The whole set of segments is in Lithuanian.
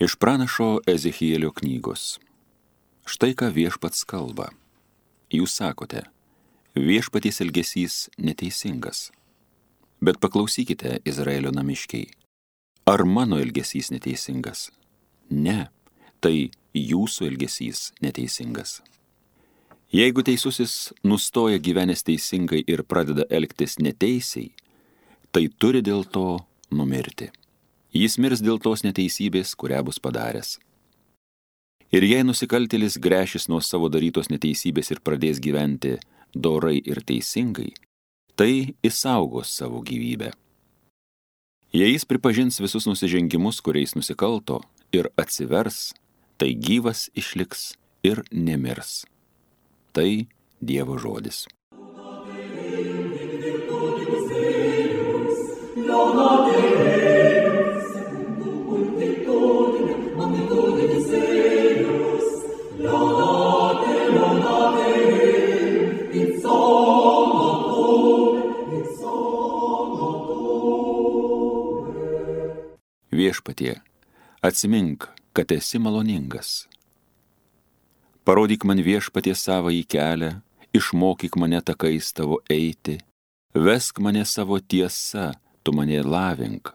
Iš pranašo Ezechielio knygos. Štai ką viešpats kalba. Jūs sakote, viešpaties elgesys neteisingas. Bet paklausykite, Izraelio namiškiai, ar mano elgesys neteisingas? Ne, tai jūsų elgesys neteisingas. Jeigu teisusis nustoja gyvenęs teisingai ir pradeda elgtis neteisiai, tai turi dėl to numirti. Jis mirs dėl tos neteisybės, kurią bus padaręs. Ir jei nusikaltėlis gręšis nuo savo darytos neteisybės ir pradės gyventi dorai ir teisingai, tai išsaugos savo gyvybę. Jei jis pripažins visus nusižengimus, kuriais nusikalto, ir atsivers, tai gyvas išliks ir nemirs. Tai Dievo žodis. Viešpatie, atsimink, kad esi maloningas. Parodyk man, Viešpatie, savąjį kelią, išmokyk mane takais tavo eiti, vesk mane savo tiesa, tu mane lavink.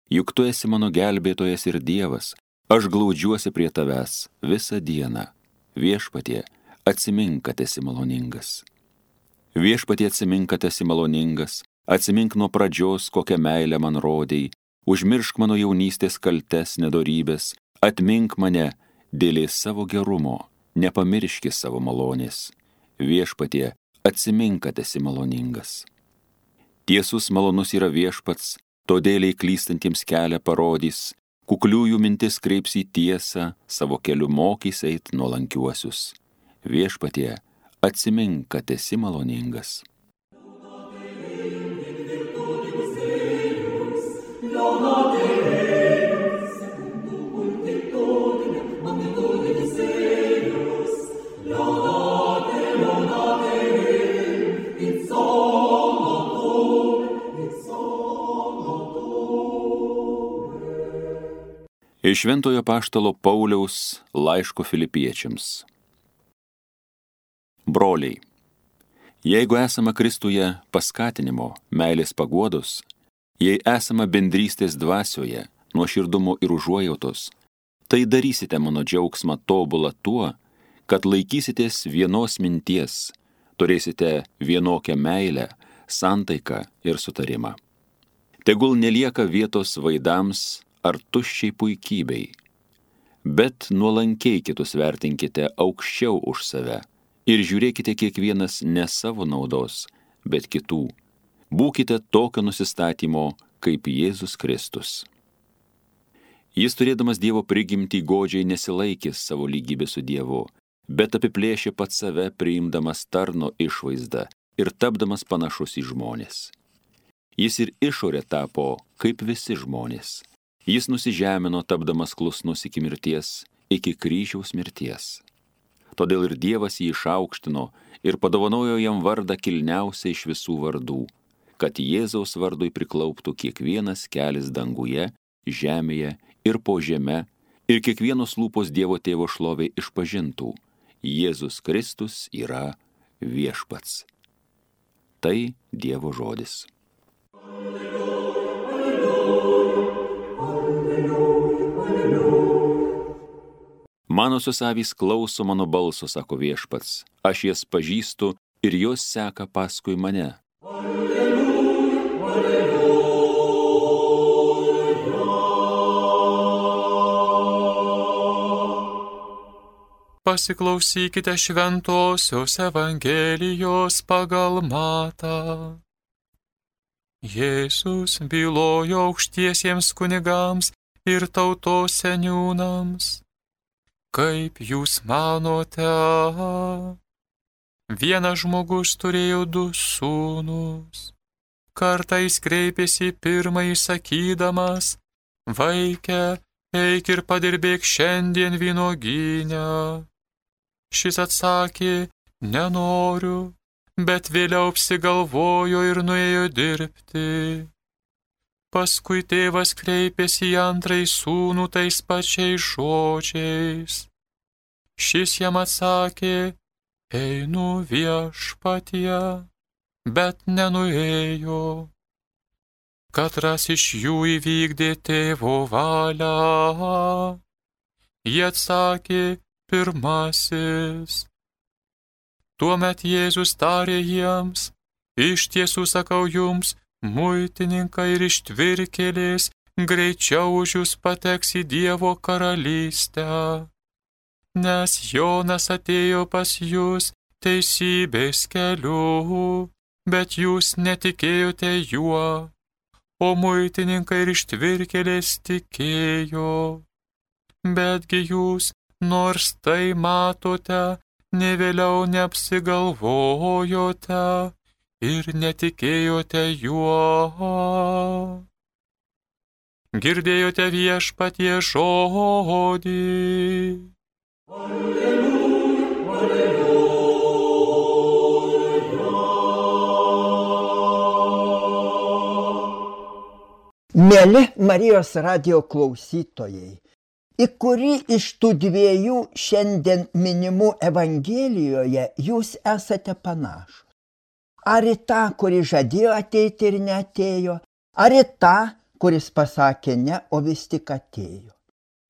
Juk tu esi mano gelbėtojas ir Dievas, aš glaudžiuosi prie tavęs visą dieną. Viešpatie, atsimink, kad esi maloningas. Viešpatie, atsimink, kad esi maloningas, atsimink nuo pradžios, kokią meilę man rodei, užmiršk mano jaunystės kaltes nedorybės, atmink mane dėl savo gerumo, nepamirški savo malonės. Viešpatie, atsimink, kad esi maloningas. Tiesus malonus yra Viešpats, todėl klystantiems kelią parodys, kukliųjų mintis kreips į tiesą, savo keliu mokys eit nuolankiuosius. Viešpatie, atsimink, kad esi maloningas. Iš Šventojo apaštalo Pauliaus laiško Filipiečiams. Broliai, jeigu esama Kristuje paskatinimo, meilės paguodos, jei esama bendrystės dvasioje, nuoširdumo ir užuojautos, tai darysite mano džiaugsmą tobulą tuo, kad laikysitės vienos minties, turėsite vienokią meilę, santaiką ir sutarimą. Tegul nelieka vietos vaidams ar tuščiai puikybei, bet nuolankiai kitus vertinkite aukščiau už save ir žiūrėkite kiekvienas ne savo naudos, bet kitų. Būkite tokio nusistatymo kaip Jėzus Kristus. Jis, turėdamas Dievo prigimtį, godžiai nesilaikė savo lygybę su Dievu, bet apiplėšė pats save, priimdamas tarno išvaizdą ir tapdamas panašus į žmones. Jis ir išorė tapo kaip visi žmonės. Jis nusižemino, tapdamas klusnus iki mirties, iki kryžiaus mirties. Todėl ir Dievas jį išaukštino ir padovanojo jam vardą kilniausią iš visų vardų, kad Jėzaus vardui priklauptų kiekvienas kelis danguje, žemėje ir po žeme, ir kiekvienos lūpos Dievo Tėvo šlovei išpažintų: Jėzus Kristus yra Viešpats. Tai Dievo žodis. Manosios avys klauso mano balso, sako Viešpats, aš jas pažįstu ir jos seka paskui mane. Pasiklausykite šventosios Evangelijos pagal Matą. Jėzus bylojo aukštiesiems kunigams ir tautos seniūnams: kaip jūs manote, vienas žmogus turėjo 2 sūnus. Kartą jis kreipėsi į pirmąjį sakydamas: vaike, eik ir padirbėk šiandien vynuogyne. Šis atsakė: nenoriu, bet vėliau apsigalvojo ir nuėjo dirbti. Paskui tėvas kreipėsi į antrąjį sūnų tais pačiais žodžiais. Šis jam atsakė, einu viešpatie, bet nenuėjo. Katras iš jų įvykdė tėvo valią. Jie atsakė, pirmasis. Tuomet Jėzus tarė jiems, iš tiesų sakau jums, muitininkai ir ištvirkėlės greičiau už jūs pateks į Dievo karalystę. Nes Jonas atėjo pas jūs teisybės keliu, bet jūs netikėjote juo, o muitininkai ir ištvirkėlės tikėjo. Betgi jūs, nors tai matote, nė vėliau neapsigalvojote ir netikėjote juo. Girdėjote viešpatie žodį. Mieli Marijos radijo klausytojai, į kurį iš tų dviejų šiandien minimų Evangelijoje jūs esate panašus? Ar į tą, kuri žadėjo ateiti ir neatėjo, ar į tą, kuris pasakė ne, o vis tik atėjo?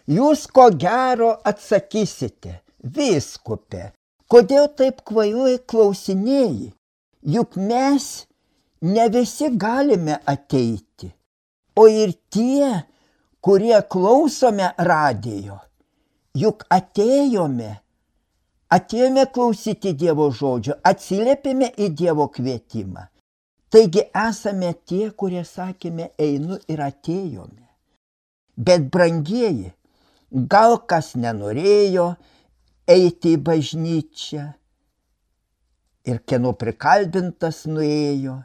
Jūs ko gero atsakysite, vyskupe, kodėl taip kvailai klausinėjai? Juk mes ne visi galime ateiti, o ir tie, kurie klausome radijo, juk atėjome klausyti Dievo žodžio, atsiliepėme į Dievo kvietimą. Taigi esame tie, kurie sakėme, einu ir atėjome. Bet brangieji, gal kas nenorėjo eiti į bažnyčią ir kieno prikalbintas nuėjo,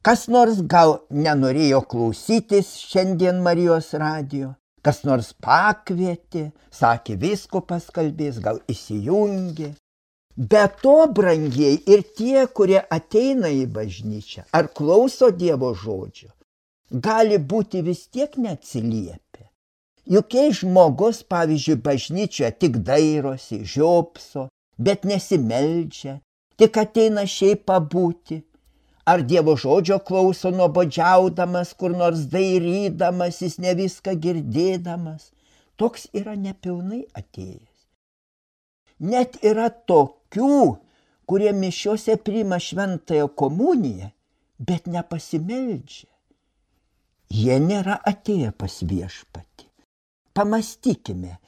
kas nors gal nenorėjo klausytis šiandien Marijos radijo, kas nors pakvietė, sakė, vyskupas kalbės, gal įsijungė. Be to, brangieji, ir tie, kurie ateina į bažnyčią ar klauso Dievo žodžio, gali būti vis tiek neatsiliepę. Juk jei žmogus, pavyzdžiui, bažnyčioje tik dairosi, žiopso, bet nesimeldžia, tik ateina šiaip pabūti, ar Dievo žodžio klauso nuobodžiaudamas, kur nors dairydamasis, ne viską girdėdamas, toks yra nepilnai atėjęs. Net yra tokių, kurie mišiose priima šventąją komuniją, bet nepasimeldžia. Jie nėra atėję pas viešpatį. Pamastykime,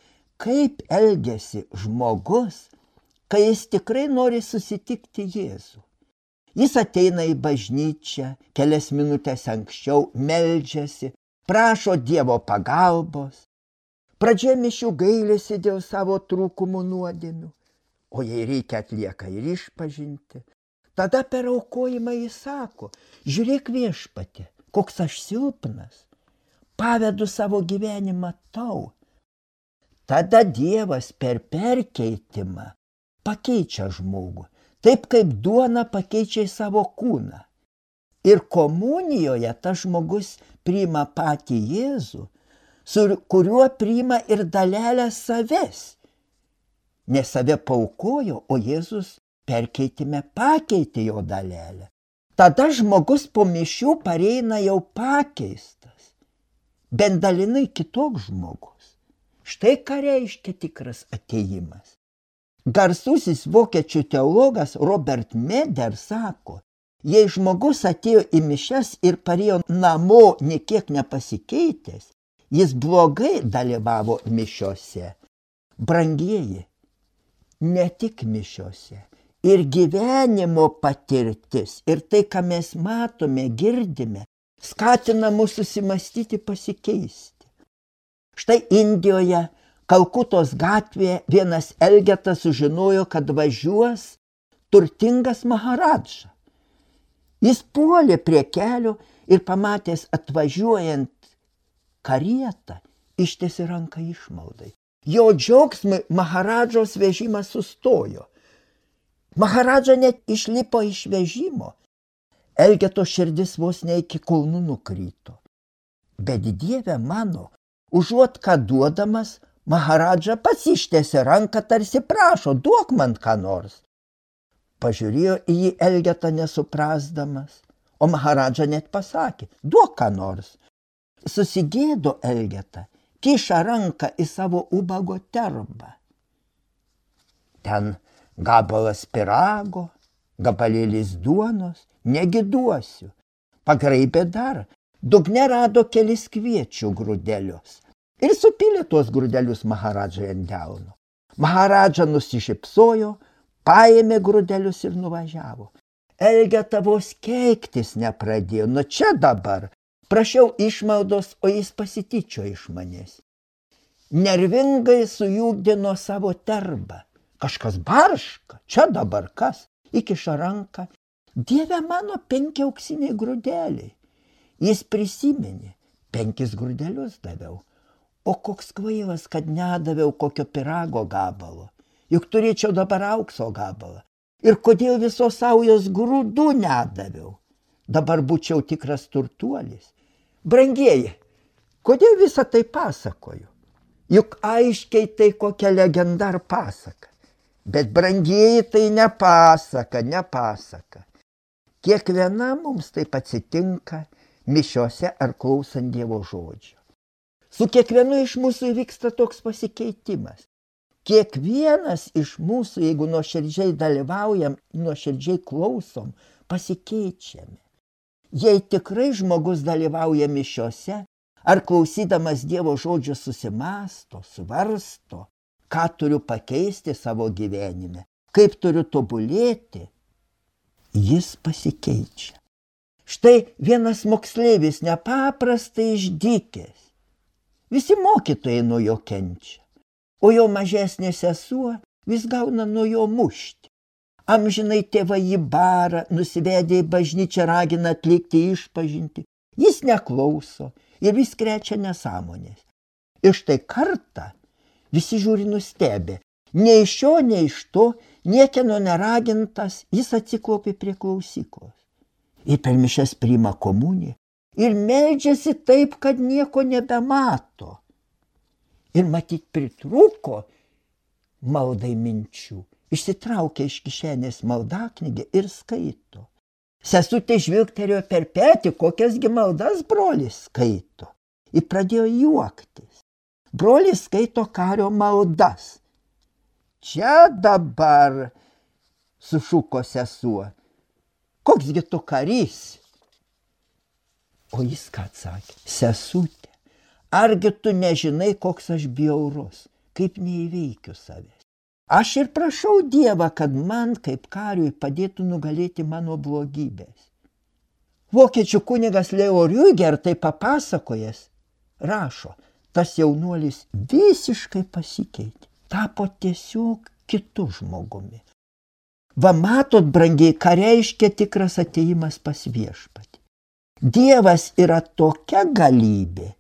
kaip elgiasi žmogus, kai jis tikrai nori susitikti Jėzų. Jis ateina į bažnyčią, kelias minutės anksčiau meldžiasi, prašo Dievo pagalbos. Pradžioje mišių gailisi dėl savo trūkumų nuodėmių, o jei reikia atlieka ir išpažinti. Tada per aukojimą jis sako, žiūrėk viešpatie, koks aš silpnas, pavedu savo gyvenimą tau. Tada Dievas per perkeitimą pakeičia žmogų. Taip kaip duona pakeičia į savo kūną. Ir komunijoje tas žmogus priima patį Jėzų, su kuriuo priima ir dalelę savęs. Ne save paaukojo, o Jėzus perkeitime pakeitė jo dalelę. Tada žmogus po mišių pareina jau pakeistas, bent dalinai kitoks žmogus. Štai ką reiškia tikras atėjimas. Garsusis vokiečių teologas Robert Meder sako, jei žmogus atėjo į mišias ir parėjo namo niekiek nepasikeitęs, jis blogai dalyvavo mišiose. Brangieji, ne tik mišiose, ir gyvenimo patirtis, ir tai, ką mes matome, girdime, skatina mus susimastyti, pasikeisti. Štai Indijoje, Kalkutos gatvėje vienas elgetas sužinojo, kad važiuos turtingas maharadža. Jis puolė prie kelio ir pamatęs atvažiuojant karietą, ištiesė ranką išmaldai. Jo džiaugsmui maharadžos vežimas sustojo. Maharadža net išlipo iš vežimo. Elgeto širdis vos ne iki kulnų nukrito. Bet Dieve mano, užuot ką duodamas, Maharadža pats ištiesė ranką, tarsi prašo, duok man ką nors. Pažiūrėjo į jį Elgeta nesuprasdamas, o Maharadža net pasakė, duok ką nors. Susigėdo Elgeta, kiša ranką į savo ubago terbą. Ten gabalas pyrago, gabalėlis duonos, negi duosiu. Pagraibė dar, dugne rado kelis kviečių grūdelius ir supylė tuos grūdelius Maharadžai ant delno. Maharadža nusišypsojo, paėmė grūdelius ir nuvažiavo. Elgeta vos keiktis nepradėjo, nu čia dabar. Prašiau išmaldos, o jis pasityčio iš manęs. Nervingai sujūgdino savo terbą. Kažkas barška, čia dabar kas? Įkiša ranką. Dieve mano, 5 auksiniai grūdeliai. Jis prisiminė, 5 grūdelius daviau. O koks kvailas, kad nedaviau kokio pyrago gabalo. Juk turėčiau dabar aukso gabalą. Ir kodėl visos saujos grūdų nedaviau? Dabar būčiau tikras turtuolis. Brangieji, kodėl visą tai pasakoju? Juk aiškiai tai kokia legenda ar pasaka. Bet brangieji tai ne pasaka. Kiekviena mums taip atsitinka mišiose ar klausant Dievo žodžio. Su kiekvienu iš mūsų įvyksta toks pasikeitimas. Kiekvienas iš mūsų, jeigu nuoširdžiai dalyvaujam, nuoširdžiai klausom, pasikeičiame. Jei tikrai žmogus dalyvauja mišiose, ar klausydamas Dievo žodžio susimąsto, svarsto, ką turiu pakeisti savo gyvenime, kaip turiu tobulėti, jis pasikeičia. Štai vienas moksleivis nepaprastai išdykęs. Visi mokytojai nuo jo kenčia, o jo mažesnė sesuo vis gauna nuo jo mušti. Amžinai tėvai jį bara, nusivedė į bažnyčią, ragina atlikti išpažintį. Jis neklauso ir vis krečia nesąmonės. Ir štai kartą visi žiūri nustebę. Nei iš šio, nei iš to, niekieno neragintas, jis atsiklaupė prie klausyklos. Ir per mišias priima komuniją. Ir meldžiasi taip, kad nieko nebemato. Ir matyt pritrūko maldai minčių. Išsitraukia iš kišenės maldaknygę ir skaito. Sesutė žvilgtelėjo per petį, kokiasgi maldas brolis skaito. Ir pradėjo juoktis. Brolis skaito kario maldas. Čia dabar, sušuko sesuo. Koksgi tu karys? O jis ką atsakė? Sesutė, argi tu nežinai, koks aš bjaurus, kaip neįveikiu savęs. Aš ir prašau Dievą, kad man kaip kariui padėtų nugalėti mano blogybės. Vokiečių kunigas Leo Rüger tai papasakojęs, rašo, tas jaunuolis visiškai pasikeitė, tapo tiesiog kitu žmogumi. Va matot, brangiai, ką reiškia tikras atėjimas pas viešpatį. Dievas yra tokia galybė,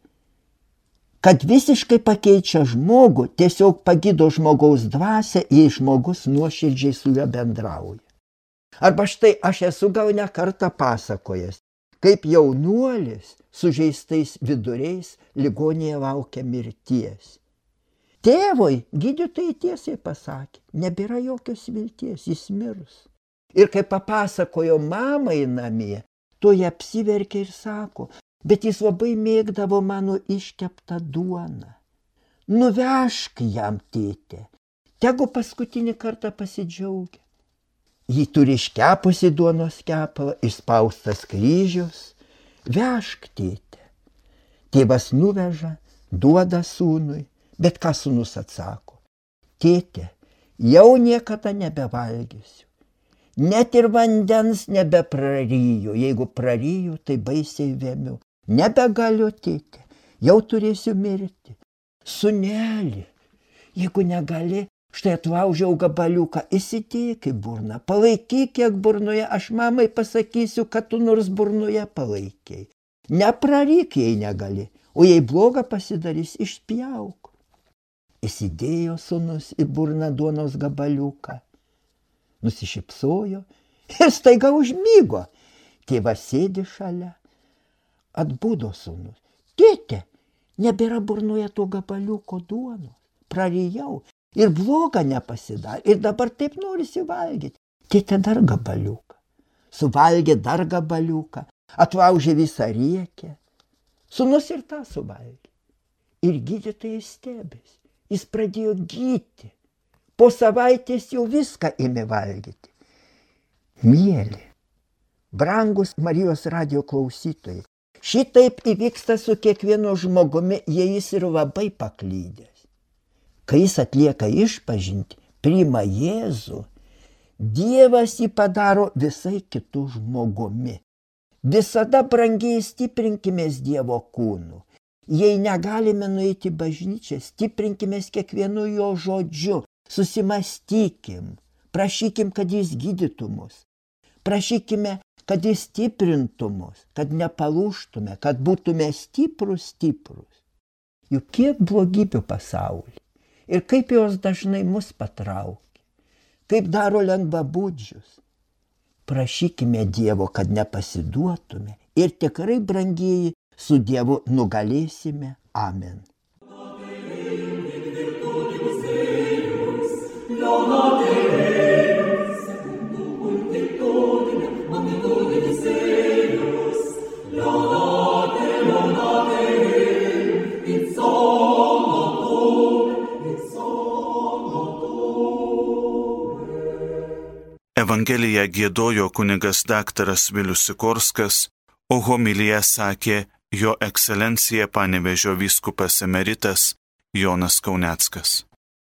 kad visiškai pakeičia žmogų, tiesiog pagydo žmogaus dvasią, jei žmogus nuoširdžiai su juo bendrauja. Arba štai aš esu gal ne kartą pasakojęs, kaip jaunuolis sužeistais viduriais ligoninėje laukia mirties. Tėvui gydytojai tiesiai pasakė, nebėra jokios vilties, jis mirs. Ir kai papasakojo mamai namie, to jie apsiverkė ir sako, bet jis labai mėgdavo mano iškeptą duoną. Nuvežk jam, tėte, tegu paskutinį kartą pasidžiaugia. Jį turi iškepusi duonos kepalą, išspaustas kryžius. Vežk, tėte. Tėvas nuveža, duoda sūnui, bet ką sūnus atsako? Tėte, jau niekada nebevalgysiu. Net ir vandens nebepraryju, jeigu praryju, tai baisiai vėmiu. Nebegaliu, tėte, jau turėsiu mirti. Sūneli, jeigu negali, štai atlaužiau gabaliuką, įsidėk į burną, palaikyk kiek burnoje, aš mamai pasakysiu, kad tu nors burnoje palaikiai. Nepraryk, jei negali, o jei bloga pasidarys, išpjauk. Įsidėjo sūnus į burną duonos gabaliuką. Nusišypsojo ir staiga užmygo. Tėvas sėdi šalia. Atbudo sūnus. Nebėra burnoje to gabaliuko duonos. Prarijau ir bloga nepasidarė. Ir dabar taip norisi valgyti. Tėtė dar gabaliuką. Suvalgė dar gabaliuką. Atlaužė visą riekę. Sūnus ir tą suvalgė. Ir gydytojai stebėsi. Jis pradėjo gydyti. Po savaitės jau viską ėmė valgyti. Mieli, brangus Marijos radijo klausytojai, šitaip įvyksta su kiekvienu žmogumi, jei jis ir labai paklydęs. Kai jis atlieka išpažintį, priima Jėzų, Dievas jį padaro visai kitų žmogumi. Visada brangiai stiprinkimės Dievo kūnu. Jei negalime nueiti į bažnyčią, stiprinkimės kiekvienu jo žodžiu, susimastykim, prašykim, kad jis gydytų mus, prašykime, kad jis stiprintų mus, kad nepalūžtume, kad būtume stiprus. Juk kiek blogybių pasaulyje ir kaip jos dažnai mus patraukia, kaip daro lengvabūdžius. Prašykime Dievo, kad nepasiduotume ir tikrai, brangieji, su Dievu nugalėsime. Amen. Evangeliją giedojo kunigas daktaras Vilius Sikorskas, o homiliją sakė Jo ekscelencija Panevėžio vyskupas emeritas Jonas Kauneckas.